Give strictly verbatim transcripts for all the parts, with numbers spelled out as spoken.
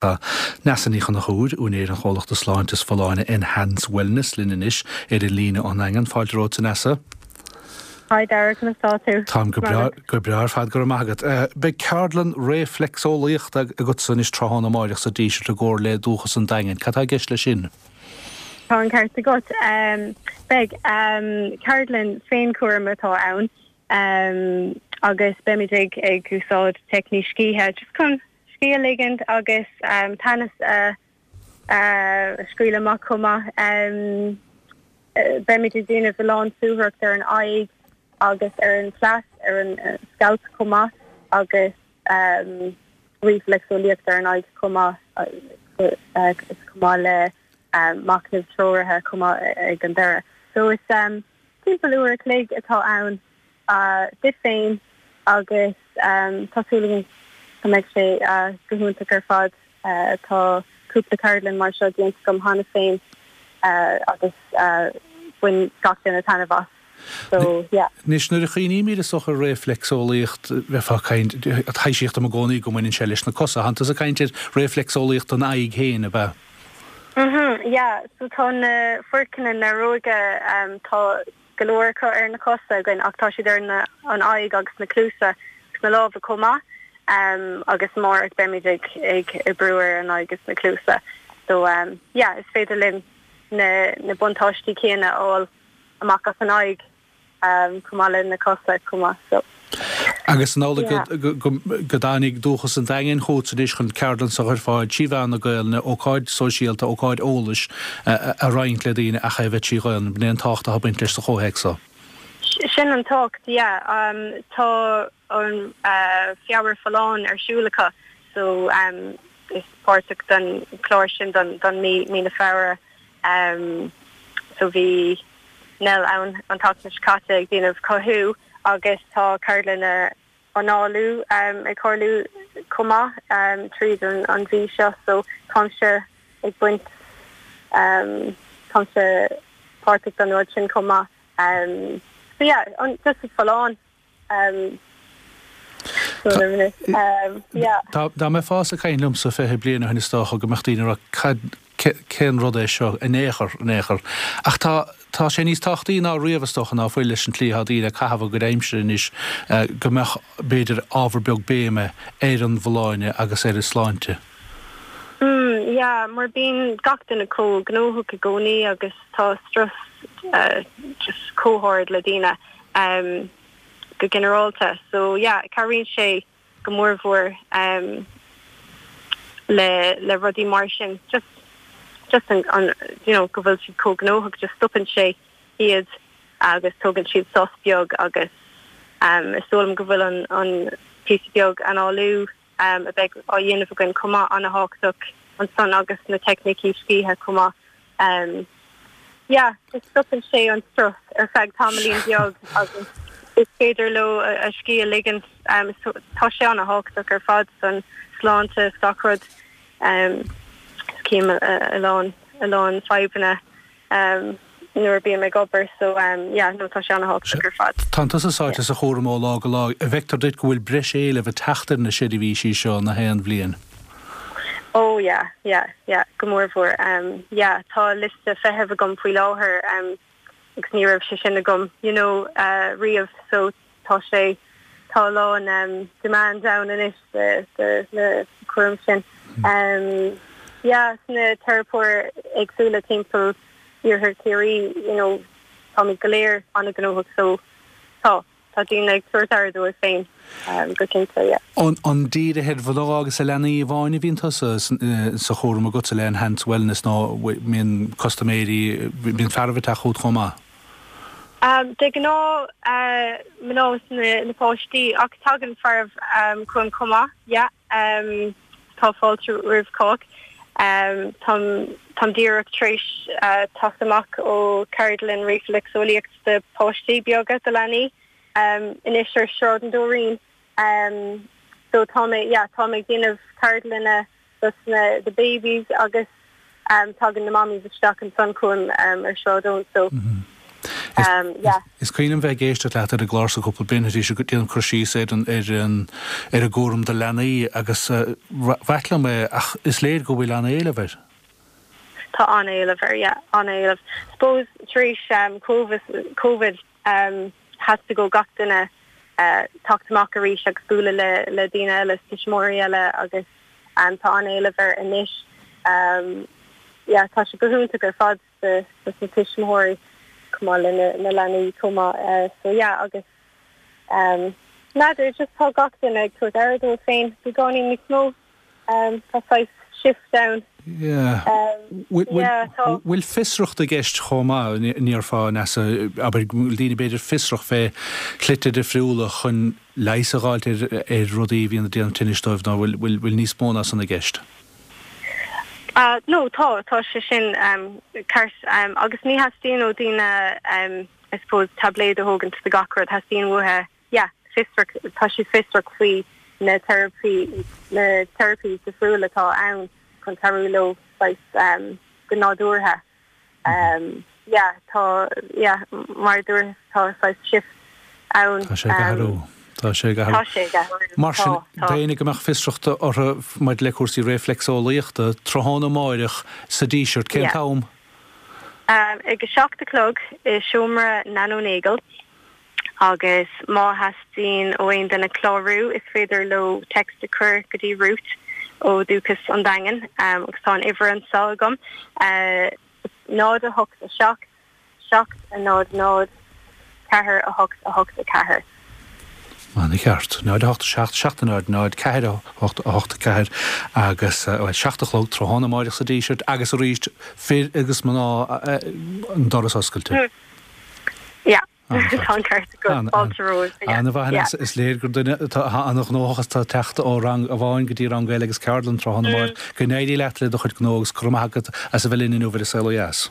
Tá Neasa Ní Chonchúir, úinéir an chomhlachta sláinte is folláine Enhance Wellness, linn anois ar an líne ón nDaingean. Fáilte romhat, a Neasa. Hi Dara, conas tá tú? Táim go breá go breá ar fad, go raibh maith agat. Beidh ceardlann réifleacseolaíochta agatsa anois tráthnóna amáireach sa Díseart i gcomhar le Dúchas an Daingin. Cad tá i gceist leis sin? Tá an ceart agat. Beidh ceardlann féinchúraim atá ann agus beimid ag ag úsáid teicnící scíthe just chun scíth a ligint agus teannas a scaoileadh amach chomh maith. Beimid ag déanamh a lán suathaireacht ar an aghaidh agus ar an chleas, ar an scalp chomh maith agus réifleacseolaíocht ar an aghaidh chomh maith chomh maith le machnamh treoraithe chomh maith ag an deireadh. So is timpeall uair a chloig atá ann duit féin agus tá súil agam go mbeidh sé go hiontach ar fad. Tá cúpla ceardlann mar seo déanta agam cheana féin agus bhain gach duine taitneamh as. So yeah. Anois nuair a chuimhnímid is dócha ar réifleacseolaíocht, bheifeá ag caint, taibhsíodh dom i gcónaí go mbaineann sé leis na cosa. Tánn tusa ag caint ar réifleacseolaíocht don aghaidh féin, ab ea? Mhm, yeah. So tá na foirceanna nearóige tá go leor acu ar na cosa againn ach tá siad ar na an aghaidh agus na cluasa agus na lámha chomh maith. Um, agus amárach beimid ag ag oibriú ar an aghaidh agus na cluasa. So um, yeah, is féidir linn na na buntáistí céanna a fháil amach as an aghaidh um, chomh maith le na cosa chomh maith. So. Agus an amhlaidh go go dtáinig Dúchas an Daingin chugat anois chun ceardlann a chur ar fáil trí mheán na Gaelainne, ócáid sóisialta, ócáid eolais a roinnt le daoine ach é a bheith trí Ghaelainn. B'in é an tábhacht atá ag baint leis sa chomhthéacs seo. Sin an tábhacht, yeah. Um, tá an uh, Feabhar Folláin ar siúl acu so um, is páirteach den chlár sin don, don mí, mí na Feabhra. Um, so bhí Nell ann an tseachtain seo caite ag déanamh cothú agus tá ceardlanna análú um, ag tarlú chomh maith um, tríd an, an mhí seo so táimse ag baint um, táimse páirteach den rud sin chomh maith. Um, so yeah, an, just folláin. Um, so, um, yeah. Dá mbeifeá ag caint liomsa fiche bliain ó shin is dócha go mbeadh daoine ag rá cad cén rud é seo in aon chor in aon chor. Ach tá tá sé níos tábhachtaí ná riamh is dócha ná fuil leis an tslí atá daoine ag caitheamh a gcuid aimsire anois go mbeadh b'fhéidir ábhar beag béime ar an bhfolláine agus ar an sláinte. Mm, yeah, mar bíonn gach duine chomh gnóthach i gcónaí agus tá strus uh, just chomh hard le daoine um, go ginearálta. So yeah, cabhraíonn sé go mórmhór um, le le rudaí mar sin just just an, an you know go bhfuil siad chomh gnóthach just stopann sé iad agus tógann siad sos beag agus um, is dóigh liom go bhfuil an an píosa beag análú um, a bheidh á dhéanamh againn chomh maith an-tábhachtach ansan agus na teicnící scíthe chomh maith. Um, yeah, just stopann sé an strus ar feadh tamaillín beag agus is féidir leo a, a scíth a ligint um, so, tá sé an-tábhachtach ar fad san sláinte is gach rud um, cím a, a lán a lán fadhbanna um, nuair a bím ag obair so um, yeah, no tá sé an-tábhachtach ar fad. Tá tusa sáite sa chúram ó lá go lá an bhfeictear duit go bhfuil breis éilimh ag teacht ar na seirbhísí seo na haon bhliain. Oh yeah, yeah, yeah, go mórmhór. Um, yeah, tá liosta feithimh agam faoi láthair um, agus ní raibh sé sin agam you know, uh, riamh so tá sé tá a lán um, demand ann anois de, de, na cúram sin. Um, yeah, sna teiripeoirí éagsúla timpeall iarthar Chiarraí, you know, tá go léir an-ghnóthach so tá tá daoine ag tabhairt aire dóibh féin um, go cinnte yeah. An an dírithe ar mhná agus ar leanaí amháin a bhíonn tusa sa chúram agatsa le Enhance Wellness nó mbíonn custaiméirí bíonn fearaibh ag teacht chugat chomh maith. Um, de ghnáth uh, mná na, na páistí ach tagann fearaibh um, chugam chomh maith yeah, um, tá fáilte roimh cách. Um, Táim táim díreach tar éis uh, teacht amach ó ceardlann réifleacseolaíocht de páistí beaga de leanaí um, anois ar Sráid an Dúirín. Um, so tá mé yeah, tá mé ag déanamh ceardlanna dos na the babies agus um, tagann na mammies isteach ansan chugam um, ar Sráid Eoin so mm -hmm. Um, yeah. Is cuimhin liom bheith ag éisteacht leat ar an gclár seo cúpla bliain tar éis go déanamh cur síos ar an ar an ar an gcúram do leanaí agus uh, b'ait liom é ach is léir go bhfuil an-éileamh air. Tá an-éileamh air yeah, an-éileamh. Suppose tar éis um, COVID, COVID um, theastaigh ó gach duine uh, teacht amach arís agus bualadh le le daoine eile tuismitheoirí eile agus um, tá an-éileamh air anois. Um, yeah, tá sé go hiontach ar fad de na tuismitheoirí chomh maith le na, na leanaí chomh maith uh, so yeah, agus um, N'fheadar just tá gach duine ag tabhairt aire dóibh féin beagáinín níos mó um, tá saghas shift ann. Yeah. Um, yeah, tá Bhfuil fiosracht i gceist chomh maith níorfá nasa aber daoine b'fhéidir fiosrach fé shlite difriúla chun leigheas a fháilt ar ar rudaí bhíonn ag déanamh tinnis dóibh nó bhfuil bhfuil níos mó ná san i gceist. Uh, no tá tá sé sin um, ceart um, agus ní theastaíonn ó daoine um, I suppose tabléid a thógaint do gach rud theastaíonn uathu yeah, fiosrach tá siad fiosrach faoi na therapy na therapies difriúla atá ann chun cabhrú leo um, go nádúrtha. Um, yeah, tá yeah, mar dúirt tá saghas shift ann. Tá sé ag athrú. Tá sé ag athrú. Tá sé ag athrú. Mar sin Tá, tá. daoine go mbeadh fiosracht orthu maidir le cúrsaí reflexolaíochta tráthnóna amárach sa Díseart cén Yeah. t-am Um, ag a seacht a chlog i seomra Nano Nagle agus má theastaíonn ó aon duine clárú is féidir leo text a chur go dtí Ruth ó Dúchas an Daingean um, agus tá an uimhir anseo agam uh, náid a hocht a seacht seacht a náid náid ceathair a hocht a hocht a ceathair. An-cheart náid a hocht seacht seacht náid náid ceathair a hocht a hocht ceathair agus uh, seacht a chlog tráthnóna amárach sa Díseart agus arís fir agus mná uh, an doras oscailte. Yeah. An-cheart. Tá ceart go An- fáilte romhaibh, yeah. Anna bha Yeah. is léir gur duine an-ghnóthach tá teacht ó rang amháin go dtí rang eile agus ceardlann tráthnóna amárach go n-éirí leat le do chuid gnó agus go raibh maith agat as a bheith linn inniu ar Saol Ó Dheas.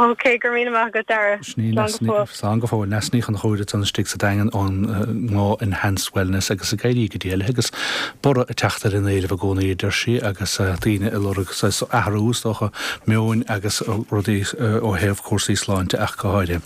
Ok, go raibh maith agat Dara. Slán go fóill Neasa Ní Chonchúir an istigh sa Daingean ón ngnó Enhance Wellness agus ag éirí go diail agus borradh ag teacht ar an éileamh i gcónaí deir sí agus daoine ag lorg athrú dócha meoin agus rudaí ó thaobh cúrsaí sláinte ach go háirithe.